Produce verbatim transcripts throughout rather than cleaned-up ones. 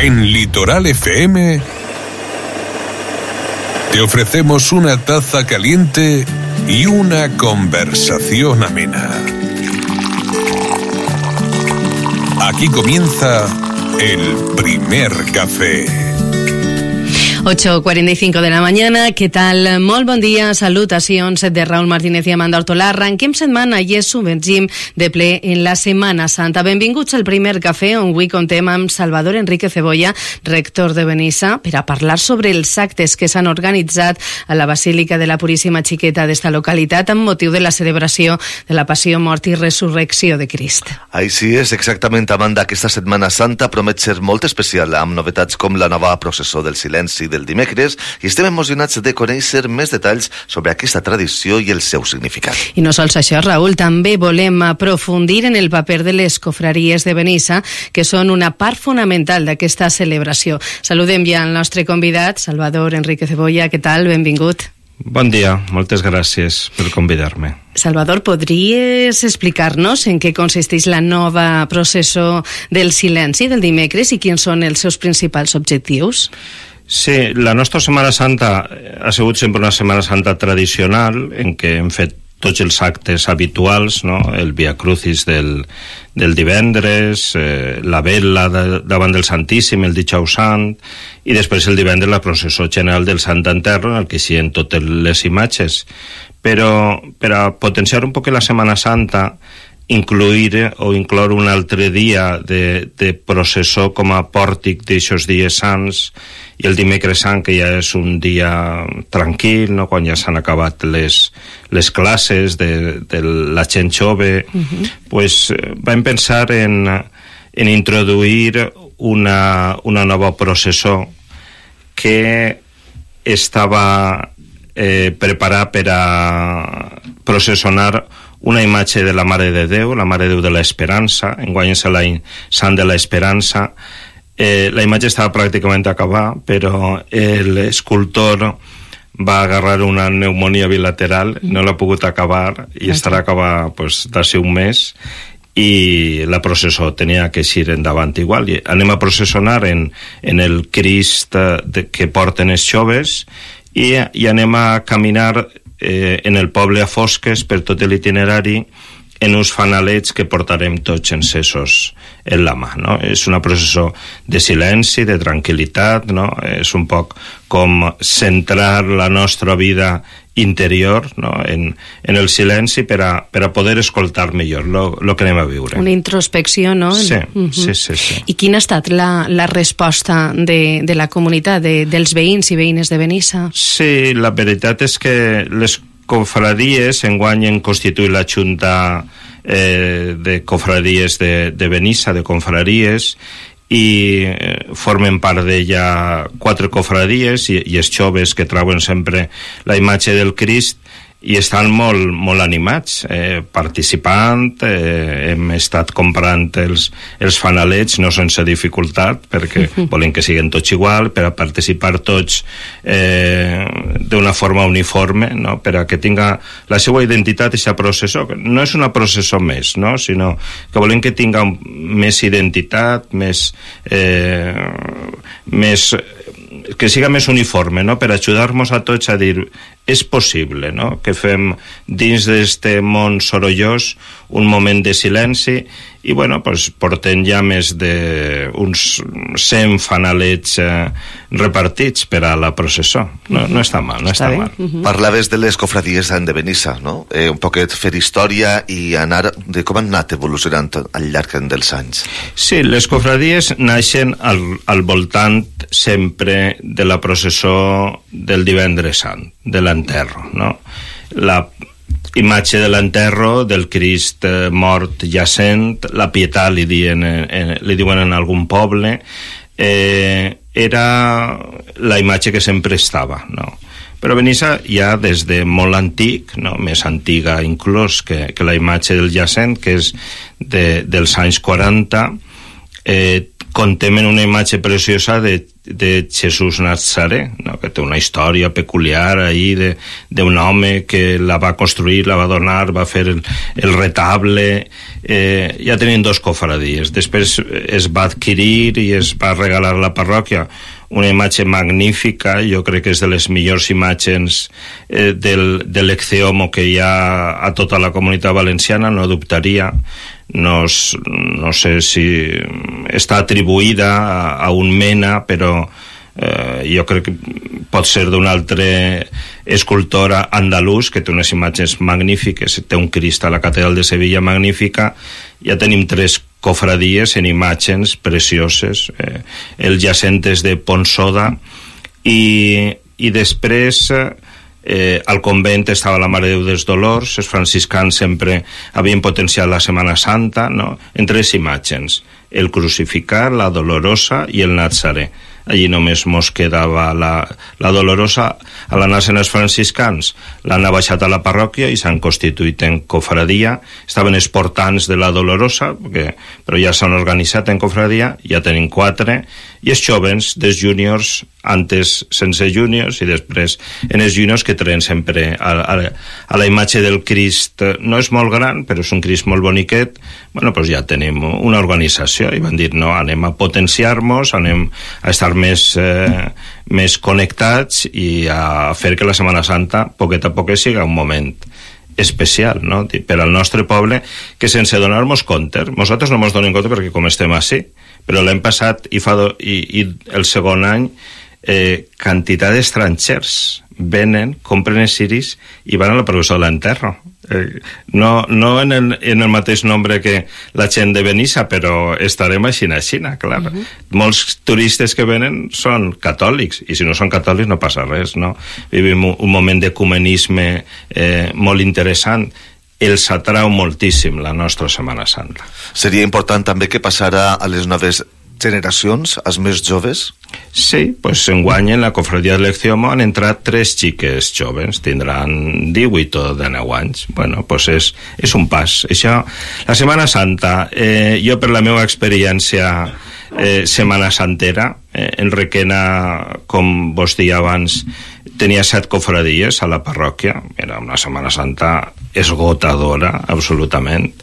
En Litoral F M te ofrecemos una taza caliente y una conversación amena. Aquí comienza el primer café. ocho cuarenta y cinco de la mañana, què tal? Molt bon dia, salutacions de Raúl Martínez i Amanda Hortolà. Arrenquem setmana i ens submergim de ple en la Setmana Santa. Benvinguts al primer cafè, on avui contem amb Salvador Enrique Cebolla, rector de Benissa, per a parlar sobre els actes que s'han organitzat a la Basílica de la Puríssima Xiqueta d'esta localitat amb motiu de la celebració de la Passió, Mort i Resurrecció de Crist. Així és, exactament, Amanda. Aquesta Setmana Santa promet ser molt especial, amb novetats com la nova processó del silenci del dimecres, i estem emocionats de conèixer més detalls sobre aquesta tradició i el seu significat. I no sols això, Raúl, també volem aprofundir en el paper de les cofraries de Benissa, que són una part fonamental d'aquesta celebració. Saludem ja al nostre convidat, Salvador Enrique Cebolla. Què tal? Benvingut. Bon dia, moltes gràcies per convidar-me. Salvador, podries explicar-nos en què consisteix la nova processó del silenci del dimecres i quins són els seus principals objectius? Sí, la nostra Setmana Santa ha sigut sempre una Setmana Santa tradicional en què hem fet tots els actes habituals, no? El Via Crucis del, del divendres, eh, la vela de, davant del Santíssim, el Dijous Sant, i després el divendres la processó general del Sant Enterro, en el que hi ha totes les imatges. Però per a potenciar un poc la Setmana Santa, incluir o incloure un altre dia de, de processó com a pòrtic d'aixòs dies sants, i el dimecres sant, que ja és un dia tranquil, no? Quan ja s'han acabat les, les classes de, de la gent jove, uh-huh. pues, vam pensar en, en introduir una, una nova processó que estava eh, preparada per a processionar una imatge de la Mare de Déu, la Mare de Déu de l'Esperança. Enguany és l'any Sant de l'Esperança. Eh, la imatge estava pràcticament acabada, però l'escultor va agarrar una pneumonia bilateral, no l'ha pogut acabar i estarà acabada pues, d'ací un mes, i la processó tenia que eixir endavant igual. I anem a processionar en, en el Crist de, que porten els joves, i, i anem a caminar eh, en el poble a fosques per tot l'itinerari en uns fanalets que portarem tots encesos en la mà, no? És una processó de silenci, de tranquil·litat, no? És un poc com centrar la nostra vida interior, no? en, en el silenci per a, per a poder escoltar millor el que anem a viure. Una introspecció, no? Sí, uh-huh. sí, sí, sí. I quina ha estat la, la resposta de, de la comunitat, de, dels veïns i veïnes de Benissa? Sí, la veritat és que les cofraries enguany han constituït la Junta eh, de Cofraries de, de Benissa, de confraries, i formen part d'ella quatre cofraries i, i els joves que trauen sempre la imatge del Crist i estan molt, molt animats, eh, participant, eh, hem estat comprant els, els fanalets, no sense dificultat, perquè uh-huh. volen que siguin tots igual, per a participar tots eh, d'una forma uniforme, no? Per a que tinga la seva identitat aquesta processó. No és una processó més, no? Sinó que volen que tinga més identitat, més... Eh, més que siga més uniforme, no? Per ajudar-nos a tots a dir és possible, no? Que fem dins d'este món sorollós un moment de silenci i, bueno, pues, portem ja més d'uns cent fanalets eh, repartits per a la processó. No, no està mal, no està, està mal. Uh-huh. Parlaves de les cofradies de Benissa, no? Eh, un poquet fer història i anar de com han anat evolucionant al llarg dels anys. Sí, les cofradies naixen al, al voltant sempre de la processó del divendres sant, de l'enterro, no? La imatge de l'enterro del Crist eh, mort jacent, la pietat li diuen, eh, li diuen en algun poble, eh, era la imatge que sempre estava, no? Però Benissa ja des de molt antic, no? Més antiga inclús que, que la imatge del jacent, que és de, dels anys quaranta, eh, contem en una imatge preciosa de, de Jesús Nazaré, no? Que té una història peculiar ahí d'un home que la va construir, la va donar, va fer el, el retable. Eh, ja tenien dos cofradies. Després es va adquirir i es va regalar a la parròquia una imatge magnífica, jo crec que és de les millors imatges eh, del, de l'Ecceomo que hi ha a tota la comunitat valenciana, no dubtaria. No, no sé si està atribuïda a, a un mena, però eh, jo crec que pot ser d'un altre escultor andalús que té unes imatges magnífiques. Té un Crist a la catedral de Sevilla magnífica. Ja tenim tres cofradies en imatges precioses, eh, el Jacentes de Ponsoda, i, i després Eh, al convent estava la Mare de Déu dels Dolors. Els franciscans sempre havien potenciat la Setmana Santa, no? En tres imatges: el crucificat, la dolorosa i el Nazaré. Allí només mos quedava la, la dolorosa. A l'anar-se'n els franciscans l'han baixat a la parròquia i s'han constituït en cofradia. Estaven els portants de la dolorosa, perquè, però ja s'han organitzat en cofradia, ja tenim quatre, i els jovens dels júniors, antes sense júniors i després en els júniors, que traien sempre a, a, a la imatge del Crist. No és molt gran, però és un Crist molt boniquet. Bueno, doncs ja tenim una organització i van dir, no, anem a potenciar-nos, anem a estar més, eh, més connectats i a fer que la Setmana Santa, poquet a poquet, siga un moment especial, no? Per al nostre poble, que sense donar-nos compte, nosaltres no ens donem compte perquè com estem així, però l'any passat i, fa do, i, i el segon any eh, quantitat d'estrangers venen, compren els ciris i van a la processó de l'enterro. Eh, no no en, el, en el mateix nombre que la gent de Benissa, però estarem així a Xina, clar. Uh -huh. Molts turistes que venen són catòlics, i si no són catòlics no passa res, no? Vivim un, un moment d'ecumenisme eh, molt interessant. Els atrau moltíssim la nostra Setmana Santa. Seria important també que passara a les noves generacions, als més joves? Sí, pues enguany en la cofradia de l'Ecceomo han entrat tres xiques joves, tindran divuit o dinou anys. Bueno, pues és, és un pas. Això, la Setmana Santa, eh, jo per la meva experiència eh, Setmana Santera, eh, en Requena, com vos deia abans, tenia set cofradies a la parròquia. Era una Setmana Santa esgotadora, absolutament.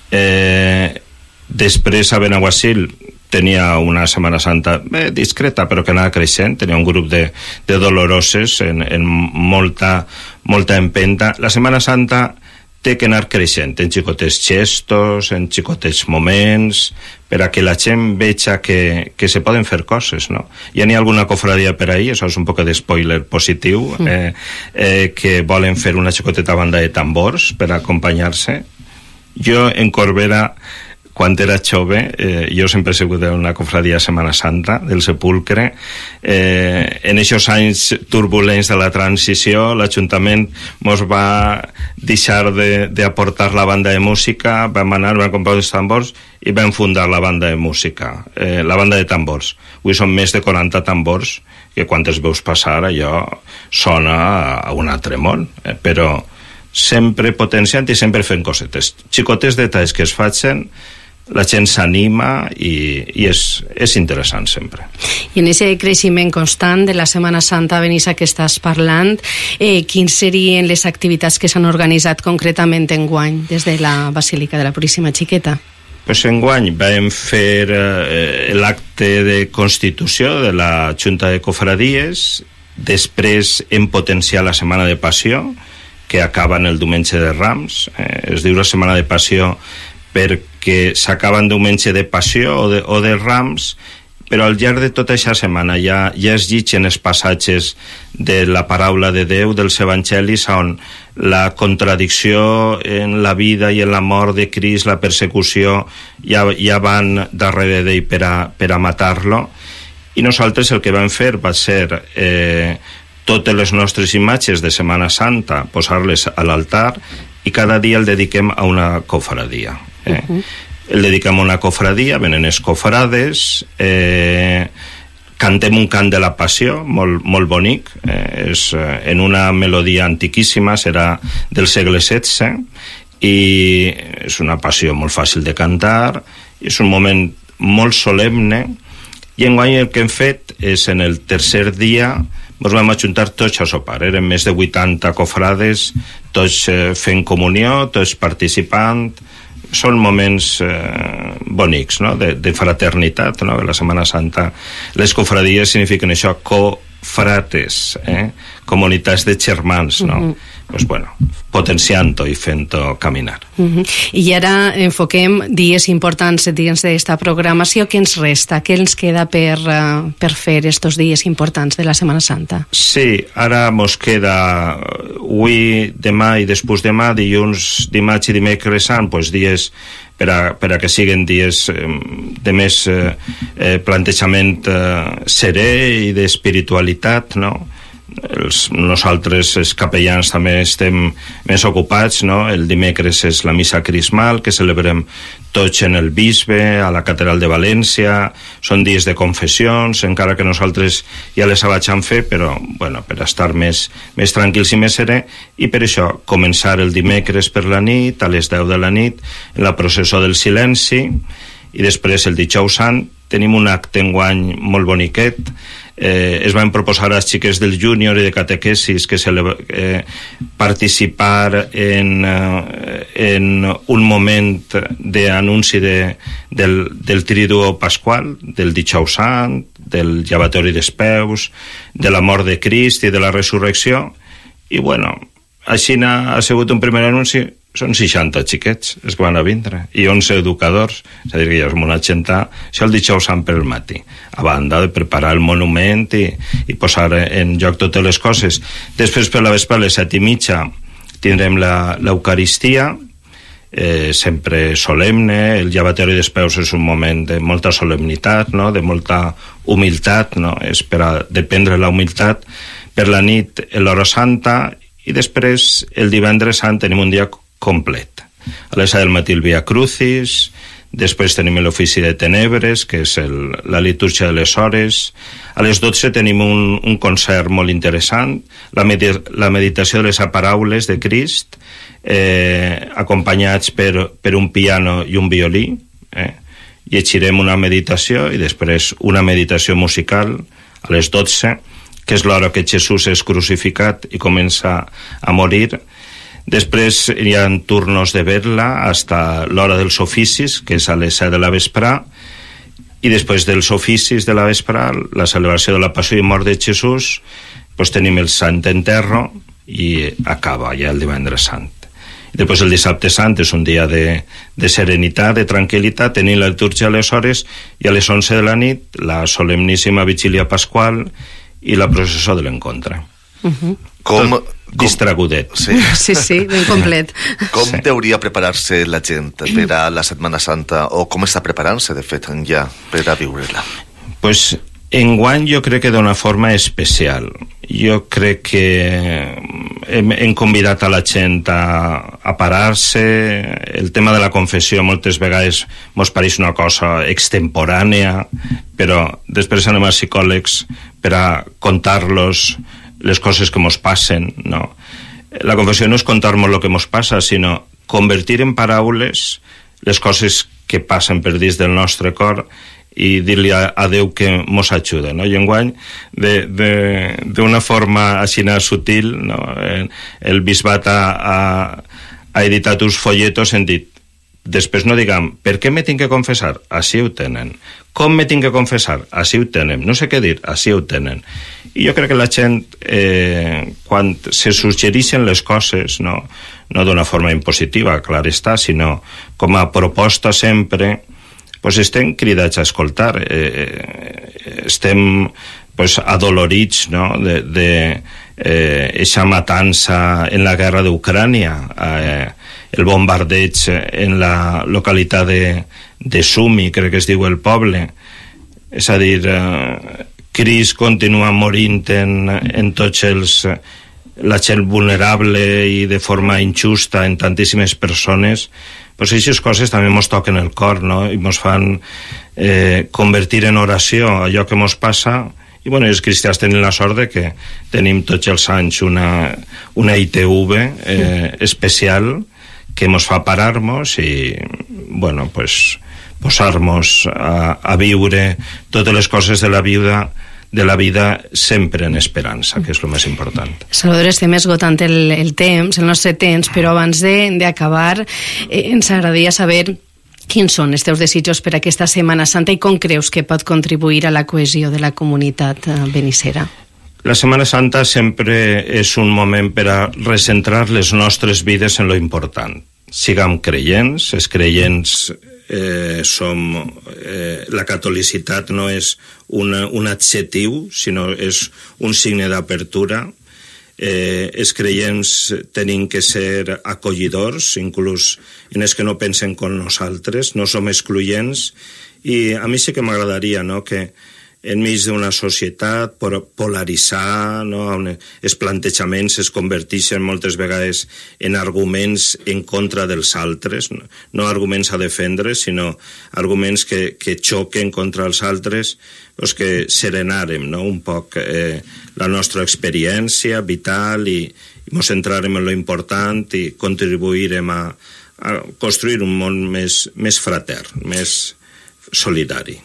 Eh, després a Benaguasil tenia una Setmana Santa bé, discreta, però que anava creixent. Tenia un grup de, de doloroses en, en molta, molta empenta. La Setmana Santa té que anar creixent en xicotets gestos, en xicotets moments, per a que la gent veja que, que se poden fer coses, no? Ja n'hi ha alguna cofradia per ahí, això és un poc de spoiler positiu, eh, eh, que volen fer una xicoteta banda de tambors per acompanyar-se. Jo en Corbera, quan era jove, eh, jo sempre he sigut una cofradia de Setmana Santa, del Sepulcre. Eh, en aquests anys turbulents de la transició, l'Ajuntament mos va deixar d'aportar la banda de música, vam anar, vam comprar els tambors i vam fundar la banda de música, eh, la banda de tambors. Avui són més de quaranta tambors, que quan els veus passar allò sona a un altre món, eh, però sempre potenciant i sempre fent cosetes. Xicotes detalls que es facin, la gent s'anima i, i és, és interessant sempre. I en aquest creixement constant de la Setmana Santa, Benissa, que estàs parlant, eh, quins serien les activitats que s'han organitzat concretament enguany des de la Basílica de la Puríssima Xiqueta? Pues enguany vam fer eh, l'acte de constitució de la Junta de Cofradies, després hem potenciat la Setmana de Passió, que acaba en el diumenge de Rams. Eh, es diu la Setmana de Passió perquè s'acaba en diumenge de Passió o de, o de Rams, però al llarg de tota aquesta setmana ja, ja es llitgen els passatges de la paraula de Déu, dels evangelis, on la contradicció en la vida i en la mort de Crist, la persecució, ja, ja van darrere d'ell per a, per a matar-lo. I nosaltres el que vam fer va ser eh, totes les nostres imatges de Setmana Santa, posar-les a l'altar, i cada dia el dediquem a una cofradia. Eh? Uh-huh. El dediquem a una cofradia, venen els cofrades, eh, cantem un cant de la Passió, molt, molt bonic, eh, és en una melodia antiquíssima, serà del segle setze, i és una passió molt fàcil de cantar, és un moment molt solemne, i enguany el que hem fet és, en el tercer dia, ens vam ajuntar tots a sopar. Eren més de vuitanta cofrades, tots eh, fent comunió, tots participant. Són moments eh, bonics, no?, de, de fraternitat, no?, la Setmana Santa. Les cofradies signifiquen això, cofrates, eh? Comunitats de germans, no? Uh-huh. Pues bueno, potenciant-ho i fent-ho caminar. Uh-huh. I ara enfoquem dies importants dins d'esta programació. Què ens resta? Què ens queda per, uh, per fer estos dies importants de la Setmana Santa? Sí, ara mos queda avui, demà i després demà, dilluns, dimarts i dimecres sant, pues dies per a, per a que siguin dies eh, de més eh, eh, plantejament eh, serè i d'espiritualitat, no? Els, nosaltres, els capellans, també estem més ocupats, no? El dimecres és la missa crismal, que celebrem tots en el bisbe, a la catedral de València. Són dies de confessions, encara que nosaltres ja les abaixem fer, però bueno, per estar més, més tranquils i més serè, i per això començar el dimecres per la nit, a les deu de la nit, en la processó del silenci, i després el dijous sant tenim un acte enguany molt boniquet. Eh, es van proposar a les xiques del júnior i de catequesis que se le, eh, participar en, eh, en un moment d'anunci de, del, del triduo pasqual, del dijous sant, del llevatori dels peus, de la mort de Crist i de la resurrecció. I bueno, així ha sigut un primer anunci. Són seixanta xiquets els que van a vindre i onze educadors, és a dir, que ja som una xenta, això el dijous sant per el matí, a banda de preparar el monument i, i posar en lloc totes les coses. Després, per la vespre, a les set i mitja tindrem l'Eucaristia, eh, sempre solemne. El llevatori dels peus és un moment de molta solemnitat, no?, de molta humilitat, no?, és per a dependre la humilitat. Per la nit, l'hora santa, i després, el divendres sant, tenim un dia complet. A les set del matí el Via Crucis, després tenim l'ofici de tenebres, que és el, la litúrgia de les hores. A les dotze tenim un, un concert molt interessant, la, med la meditació de les paraules de Crist, eh, acompanyats per, per un piano i un violí. Eh? Llegirem una meditació i després una meditació musical a les dotze, que és l'hora que Jesús és crucificat i comença a morir. Després hi ha turnos de vetla fins a l'hora dels oficis, que és a les set de la vesprà, i després dels oficis de la vesprà, la celebració de la passió i mort de Jesús, doncs tenim el Sant Enterro i acaba ja el divendres sant. I després el dissabte sant és un dia de, de serenitat, de tranquil·litat, tenim la litúrgia a les hores, i a les onze de la nit la solemníssima vigília pasqual i la processó de l'encontre. Uh-huh. Com, com... Distragudet. Sí, sí, sí, ben complet. Com sí. Deuria preparar-se la gent per a la Setmana Santa, o com està preparant-se, de fet, ja, per a viure-la? Pues, enguany jo crec que d'una forma especial. Jo crec que hem, hem convidat a la gent a, a parar-se. El tema de la confessió moltes vegades mos pareix una cosa extemporània, però després anem a psicòlegs per a contar-los les coses que mos passen, no? La confessió no és contar-nos el que mos passa, sinó convertir en paraules les coses que passen per dins del nostre cor i dir-li a, a Déu que mos ajuda, no? I enguany, d'una forma així sutil, no? El bisbat ha, ha, ha editat uns folletos en dit, després no diguem, per què me tinc que confessar? Així ho tenen. Com me tinc que confessar? Així ho tenen. No sé què dir, així ho tenen. I jo crec que la gent, eh, quan se suggereixen les coses, no, no d'una forma impositiva, clar està, sinó com a proposta sempre, pues estem cridats a escoltar. Eh, estem pues, adolorits, no?, de, de eh, eixa matança en la guerra d'Ucrània, eh, el bombardeig en la localitat de, de Sumi, crec que es diu el poble. És a dir, eh, Crist continua morint en, en tots els... la gent vulnerable i de forma injusta en tantíssimes persones, pues aquestes coses també mos toquen el cor, no?, i mos fan eh, convertir en oració allò que mos passa. I bueno, els cristians tenen la sort de que tenim tots els anys una, una I T V eh, especial que mos fa parar-nos i, bueno, pues, posar-nos a, a viure totes les coses de la vida de la vida sempre en esperança, que és el més important. Salvador, estem esgotant el, el temps, el nostre temps, però abans d'acabar eh, ens agradaria saber quins són els teus desitjos per aquesta Setmana Santa i com creus que pot contribuir a la cohesió de la comunitat benissera. La Setmana Santa sempre és un moment per a recentrar les nostres vides en lo important. Siguem creients, els creients eh, som... Eh, la catolicitat no és una, un adjectiu, sinó és un signe d'apertura. Eh, els creients tenim que ser acollidors, inclús en els que no pensen com nosaltres, no som excloents, i a mi sí que m'agradaria, no?, que enmig d'una societat polaritzar, no? On els plantejaments es converteixen moltes vegades en arguments en contra dels altres, no, no arguments a defendre, sinó arguments que, que xoquen contra els altres, doncs que serenarem, no? Un poc eh, la nostra experiència vital i, i ens centrarem en lo important i contribuirem a, a construir un món més, més fratern, més solidari.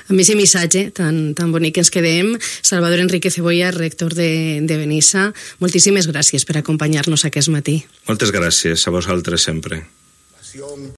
Amb aquest missatge tan, tan bonic que ens quedem, Salvador Enrique Cebolla, rector de, de Benissa, moltíssimes gràcies per acompanyar-nos aquest matí. Moltes gràcies a vosaltres sempre.